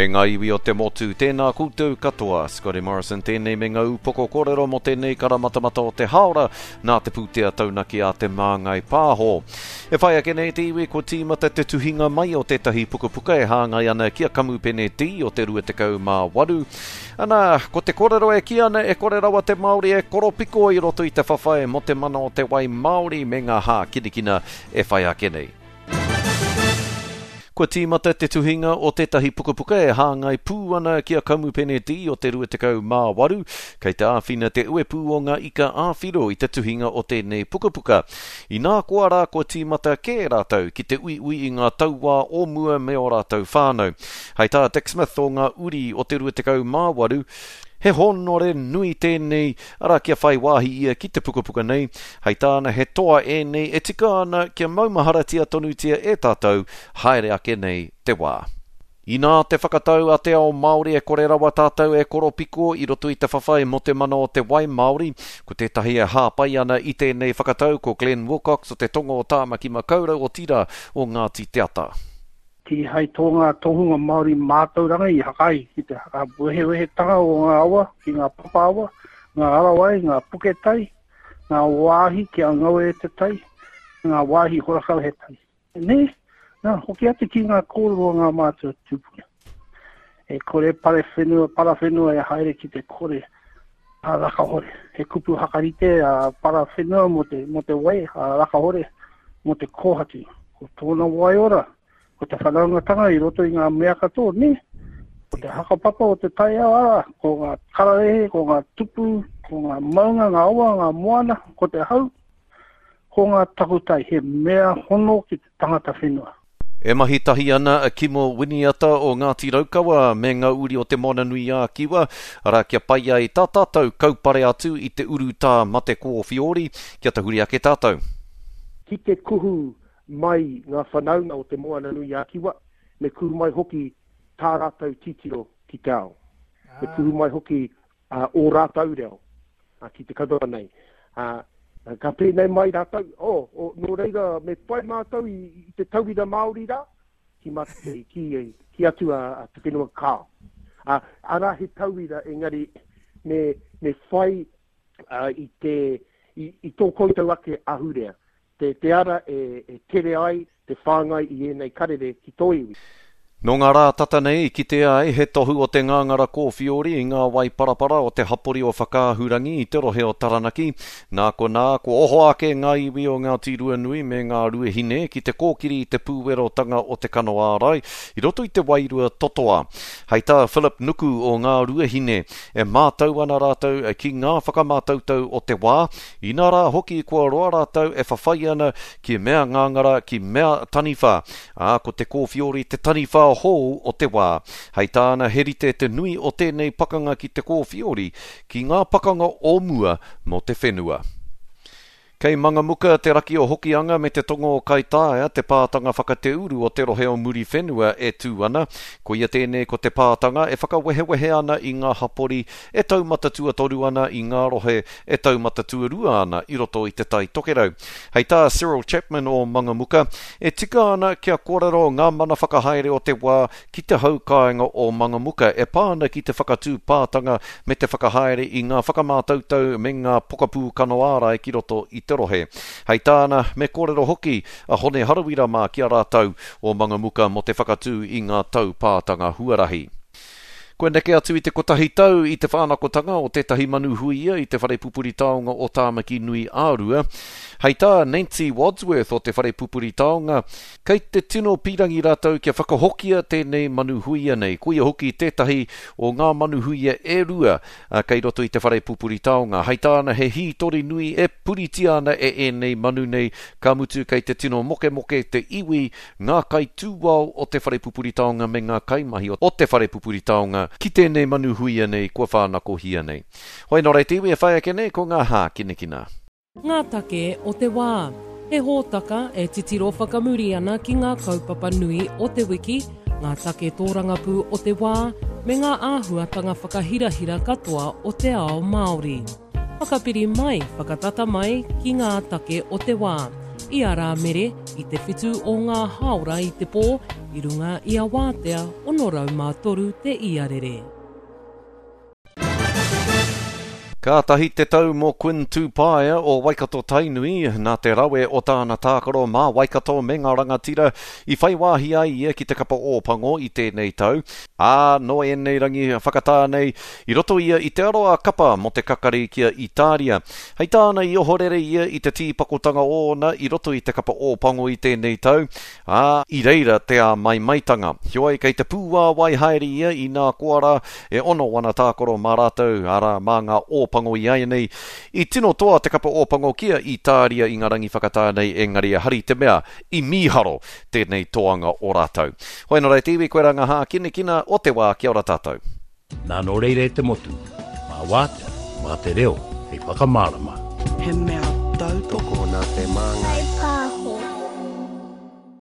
E ngā iwi o te motu, tēnā koutou katoa. Scotty Morrison tēnei me ngā upoko kōrero mō tēnei karamatamata o te hāora nā te pūtea taunaki a Te Māngai Pāho. E whai ake nei te iwi kua tīmata te tuhinga mai o tētahi pukapuka e hāngai ana ki a Kamupene D o te 28. Ana, ko te kōrero e kī ana e kore rawa te Māori e koropiko i roto i te whawhai mō te mana o te wai Māori me ngā hākinakina e whai ake nei. Kua tīmata te tuhinga o tētahi pukapuka e hāngai pū ana ki a Kamupene D o te 28, kei te āwhina te uepū o ngā ika ā-whiro i te tuhinga o tēnei pukapuka. Inā koa rā kua tīmata kē rātou ki te uiui i ngā tauā o mua me ō rātou whānau. Hei tā Dick Smith o ngā uri o te 28, He hōnore nui tēnei, arā kia whai wāhi ia ki te pukapuka nei. Hei tāna he toa ēnei e tika ana kia maumaharatia tonutia e tātou haere ake nei te wā. Inā te whakatau a te ao Māori e kore rawa tātou e koropiko i roto i te whawhai mō te mana o te wai Māori. Ko tētahi e hāpai ana i tēnei whakatau ko Glenn Wilcox o te Tonga o Tāmaki Makaurau otirā o Ngāti Te Ata. Kīhai tō ngā tohunga Māori mātauranga i haka ai ki te whakawehewehetanga o ngā awa ki ngā papa awa, ngā arawai, ngā puke tai, ngā wāhi kia ngau e te tai, ngā wāhi horakau he tai. Nē? Nā, hoki atu ki ngā kōrero a ngā mātua tūpuna. E kore pare whenua, para whenua e haere ki te kore a rakahore. He kupu hakarite a para whenua mō te, mō te wai, a rakahore mō te kōhatu. Ko tōna waiora, ko te whanaungatanga i roto i ngā mea katoa, nē? Ko te hakapapa o te taiao, arā, ko ngā kararehe, ko ngā tupu, ko ngā maunga, ngā awa, ngā moana, ko te hau, ko ngā takutai, he mea hono ki te tangata whenua. E mahi tahi ana a Kimo Winiata o Ngāti Raukawa me ngā uri o Te Moananui-a-Kiwa, arā, kia pai ai tā tātou kaupare atu i te urutā mate kōwhiori, kia tahuri ake tātou. Ki te kuhu mai ngā whanaunga o Te Moananui-a-Kiwa, me kuhu mai hoki tā rātou titiro ki te ao. Me kuhu mai hoki ō rātou reo ki te kaupapa nei. Ka pēnei mai rātou, oh, oh, nō reira me whai mātou i, i te tauira Māori rā, ki, mate, ki, ki atu a, a te whenua kāo. Uh, arā he tauira engari me, me whai uh, i, te, i, i tō koutou ake ahurea. Te, te ara e, e tere ai te whāngai i ēnei karere ki tō iwi. Nō ngā rā tata nei i kitea ai he tohu o te ngāngara kōwhiori i ngā wai parapara o te hapori o Whakaahurangi i te rohe o Taranaki. Nā konā, kua oho ake ngā iwi o Ngāti Ruanui me Ngā Ruahine ki te kōkiri i te pūwerotanga o te kano ārai i roto i te wairua totoa. Hei tā Phillip Nuku o Ngā Ruahine, e mātau ana rātou ki ngā whakamātautau o te wā, Inā rā hoki kua roa rātou e whawhai ana ki mea ngāngara, ki mea taniwha, ā, ko te kōwhiori te taniwha hou o te wā. Hei tāna he rite te nui o tēnei pakanga ki te kōwhiori ki ngā pakanga o mua mō te whenua. Kei Mangamuka, te raki o Hokianga me te tonga o Kaitaia te pātanga whakateuru o te rohe o Muriwhenua e tū ana. Koia tēnei ko te pātanga e whakawehewehe ana i ngā hapori e taumata tuatoru ana i ngā rohe e taumata tuarua ana i roto i Te Tai Tokerau. Hei tā Cyril Chapman o Mangamuka, e tika ana kia kōrero ngā mana whakahaere o te wā ki te hau kāinga o Mangamuka e pā ana ki te whakatū pātanga me te whakahaere i ngā whakamātautau me ngā pokapū kano ārai ki roto i te rohe. Hei tāna, me kōrero hoki a Hone Harawira mā ki a rātou o Mangamuka mō te whakatū i ngā taupātanga huarahi. Kua neke atu i te kotahi tau i te whānakotanga o tētahi manu huia i te whare pupuri taonga o Tāmaki Nui ā-Rua. Hei tā Nancy Wadsworth o te whare pupuri taonga, kei te tino pīrangi rātou kia whakahokia tēnei manu huia nei, koia hoki tētahi o ngā manu huia e rua kei roto i te whare pupuri taonga. Hei tāna he hītori nui e puritia ana e ēnei manu nei, ka mutu kei te tino mokemoke te iwi ngā kaitūao o te whare pupuri taonga me ngā kaimahi o te whare pupuri taonga ki tēnei manu huia nei kua whānakohia nei. Hoi nō reira te iwi e whai ake nei ko ngā hākinakina. Ngā take o te wā. He hōtaka e titiro whakamuri ana ki ngā kaupapa nui o te wiki, ngā take tōrangapū o te wā, me ngā āhuatanga whakahirahira katoa o te ao Māori. Whakapiri mai, whakatata mai ki ngā take o te wā. Ia Rāmere, i te whitu o ngā hāora i te pō, i runga i a Wātea 603 te iarere. Kātahi te tau mō Quinn Tupaea o Waikato Tainui, nā te rawe o tāna tākaro mā Waikato me ngā rangatira i whai wāhi ai ia ki te kapa Ōpango i tēnei tau, ā, nō ēnei rangi whakatā nei, i roto ia i te aro ā-kapa mō te kakari ki a Itāria. Hei tāna i ohorere ia i te tīpakotanga ōna i roto i te kapa Ōpango i tēnei tau, ā, i reira te āmaimaitanga. Heoi, kei te pūāwai haere ia inā koa rā, e ono ana tākaro mā rātou, arā, mā ngā Ōpango iaianei. I tino toa te kapa Ōpango ki a Itāria i ngā rangi whakatā nei, engari ehara i te mea i mīharo tēnei toanga o rātou. Hoi nō reira te iwi, koirā ngā hākinakina o te wā, kia ora tātou. Nā nō reira e te motu, mā Wātea, mā te reo hei whakamārama. He mea tautoko. Tokona te māngai.